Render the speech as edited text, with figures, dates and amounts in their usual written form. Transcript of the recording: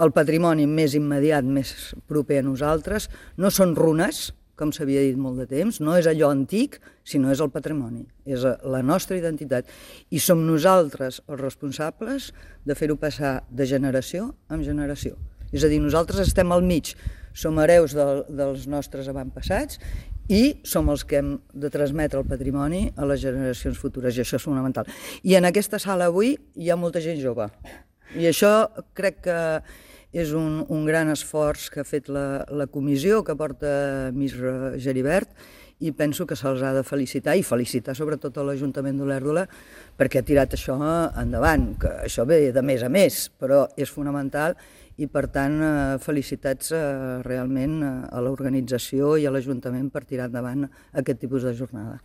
el patrimoni més immediat, més proper a nosaltres, no són runes, com s'havia dit molt de temps, no és allò antic, sinó és el patrimoni, és la nostra identitat. I som nosaltres els responsables de fer-ho passar de generació en generació. És a dir, nosaltres estem al mig, som hereus dels nostres avantpassats i som els que hem de transmetre el patrimoni a les generacions futures, i això és fonamental. I en aquesta sala avui hi ha molta gent jove, i això crec que és un gran esforç que ha fet la comissió que porta Misra Geribert, i penso que se'ls ha de felicitar, i felicitar sobretot a l'Ajuntament d'Olèrdola perquè ha tirat això endavant, que això ve de més a més, però és fonamental, i per tant felicitats realment a l'organització i a l'Ajuntament per tirar endavant aquest tipus de jornada.